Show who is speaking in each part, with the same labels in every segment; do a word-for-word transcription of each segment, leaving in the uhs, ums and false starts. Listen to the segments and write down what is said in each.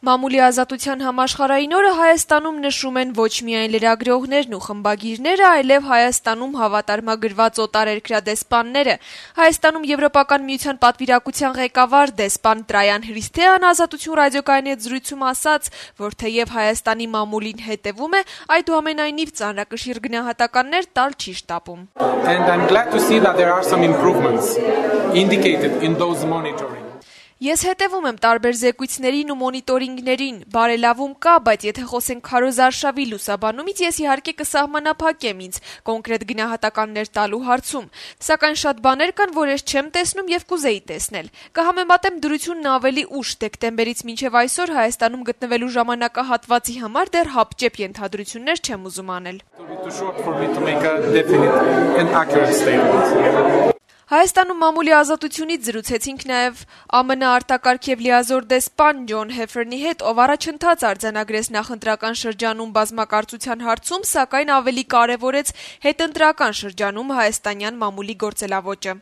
Speaker 1: Մամուլի ազատության համաշխարհային օրը Հայաստանում նշում են ոչ միայն լրագրողներն ու խմբագիրները, այլև Հայաստանում հավատարմագրված օտարերկրադեսպանները։ Հայաստանում Եվրոպական միության պատվիրակության ղեկավար դեսպան Տրայան Հրիսթեան Ազատություն ռադիոկայանի հետ զրույցում ասաց, որ թեև Հայաստանի մամուլին հետևում է, այդուամենայնիվ ծանրակշիռ գնահատականներ տալ չի շտապում։
Speaker 2: And I'm glad to see that there are some improvements indicated in those monitoring.
Speaker 1: Ես հետևում եմ տարբեր զեկույցներին ու մոնիտորինգներին, բարելավում կա, բայց եթե խոսենք քարոզարշավի լուսաբանումից, ես իհարկե կսահմանափակեմ ինձ կոնկրետ գնահատականներ տալու հարցում, սակայն շատ բաներ կան, որ ես չեմ տեսնում եւ կուզեի տեսնել։ Կհամեմատեմ դրությունն ավելի ուշ դեկտեմբերից մինչեւ այսօր Հայաստանում գտնվելու ժամանակահատվածի համար դեռ հապճեպ ենթադրություններ չեմ ուզում անել։ Հայաստանում մամուլի ազատությունից զրուցեցինք նաև ԱՄՆ արտակարգ եւ լիազոր դեսպան Ջոն Հեֆերնի հետ, ով առաջընթաց արձանագրեց նախընտրական շրջանում բազմակարծության հարցում, սակայն ավելի կարևորեց հետընտրական շրջանում հայաստանյան մամուլի գործելավոճը։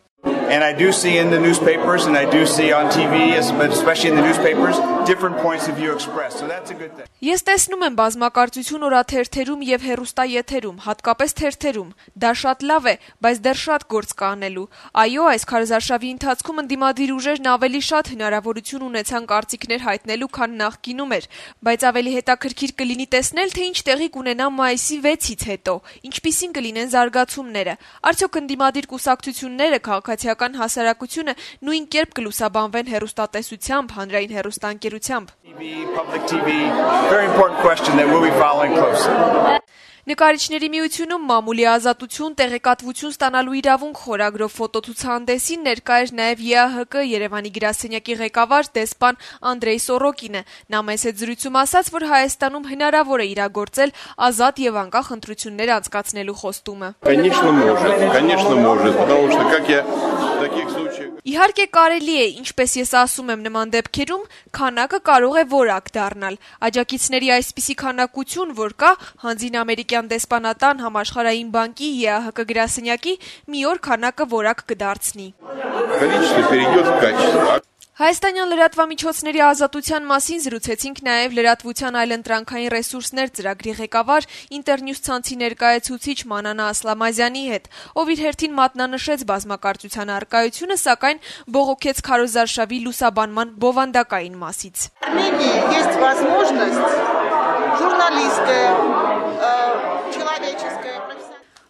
Speaker 3: And I do see in the newspapers and I do see on T V, especially in the newspapers, different points of view expressed. So that's a good thing.
Speaker 1: Ես տեսնում եմ բազմակարծություն օրաթերթերում եւ հեռուստաեթերում, հատկապես թերթերում։ Դա շատ լավ է, բայց դեռ շատ գործ կա անելու։ Այո, այս քարոզարշավի ընթացքում ընդդիմադիր ուժերն ավելի շատ հնարավորություն ունեցան կարծիքներ հայտնելու, քան նախկինում էր, բայց ավելի հետաքրքիր կլինի տեսնել, թե ինչ տեղի կունենա մայիսի վեցից հետո, ինչպիսին կլինեն զարգացումները։ Արդյոք ընդդիմադիր կուսակցությունները, քաղաքացիական հասարակությունը նույն կերպ կլուսաբանվեն հեռուստատեսությամբ, հանրային հեռուստաընկերությամբ։
Speaker 3: Public T V, very important question that we'll be following closely.
Speaker 1: Նկարիչների միությունում մամուլի ազատություն, տեղեկատվություն ստանալու իրավունք խորագրով ֆոտոցուցահանդեսին ներկա էր նաև Ե Ա Հ Կ Երևանի գրասենյակի ղեկավար դեսպան Անդրեյ Սորոկինը։ Նա մեզ հետ զրույցում ասաց, որ Հայաստանում հնարավոր է իրագործել ազատ եւ անկախ ընտրություններ անցկացնելու խոստումը։
Speaker 4: Конечно, может, конечно, может, потому что как я в таких случаях
Speaker 1: Իհարկե կարելի է, ինչպես ես ասում եմ նման դեպքերում, քանակը կարող է որակ դառնալ։ Աջակիցների այսպիսի քանակություն, որ կա, հանձին ամերիկյան դեսպանատան համաշխարհային բանկի Ե Ա Հ Կ գրասենյակի մի օր քանակը որակ կդարձնի։
Speaker 4: количество перейдет в качество.
Speaker 1: Հայաստանյան լրատվամիջոցների ազատության մասին զրուցեցինք նաև լրատվության այլընտրանքային ռեսուրսներ ծրագրի ղեկավար Ինտերնյուս ցանցի ներկայացուցիչ Մանանա Ասլամազյանի հետ, ով իր հերթին մատնանշեց բազմակարծության առկայությունը, սակայն բողոքեց քարոզարշավի լուսաբանման բովանդակային մասից։
Speaker 5: Есть возможность журналистская, человеческая.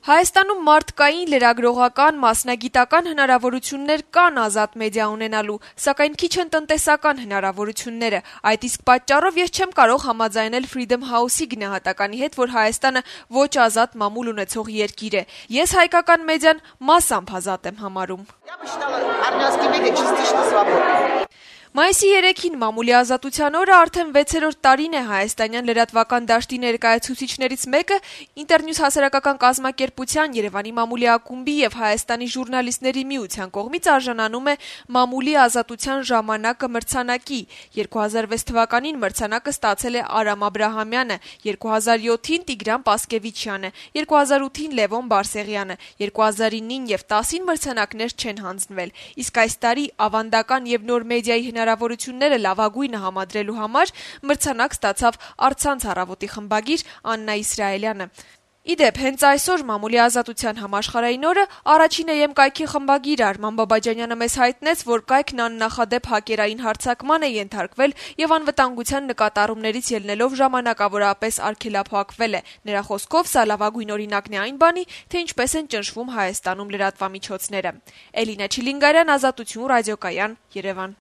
Speaker 1: Հայաստանում մարդկային, լրագրողական, մասնագիտական հնարավորություններ կան ազատ մեդիա ունենալու, սակայն քիչ են տնտեսական հնարավորությունները։ Այդ իսկ պատճառով ես չեմ կարող համաձայնել Freedom House-ի գնահատականի հետ, որ Հայաստանը ոչ ազատ մամուլ ունեցող երկիր է։ Ես հայկական մեդիան մասամբ ազատ եմ համարում։ Մայիսի երեքին մամուլի ազատության օրը արդեն վեցերորդ տարին է հայաստանյան լրատվական դաշտի ներկայացուցիչներից մեկը Ինտերնյուս հասարակական կազմակերպության, Երևանի մամուլի ակումբի եւ Հայաստանի ժուրնալիստների միության կողմից արժանանում է մամուլի ազատության ժամանակը մրցանակի։ երկու հազար վեց թվականին մրցանակը ստացել է Արամ Աբրահամյանը, երկու հազար յոթին Տիգրան Պասկևիչյանը, երկու հազար ութին Լևոն Բարսեղյանը, երկու հազար նոյն եւ տասին մրցանակներ չեն հանձնվել։ Իսկ այս տարի ավանդական եւ նոր մեդիայի հնարավորությունները լավագույնը համադրելու համար մրցանակ ստացավ Առցանց առավոտի խմբագիր Աննա Իսրայելյանը։ Իդեպ, հենց այսօր մամուլի ազատության համաշխարհային օրը առաջին Է Եմ կայքի խմբագիր Արման Բաբաջանյանը մեզ հայտնեց, որ կայքն աննախադեպ հակերային հարձակման է ենթարկվել եւ անվտանգության նկատառումներից ելնելով ժամանակավորապես արգելափակվել է։ Նրա խոսքով սա լավագույն օրինակն է այն բանի, թե ինչպես են ճնշվում Հայաստանում լրատվամիջոցները։ Էլինա Չիլինգարյան, Ազատություն ռադիոկայան, Երևան։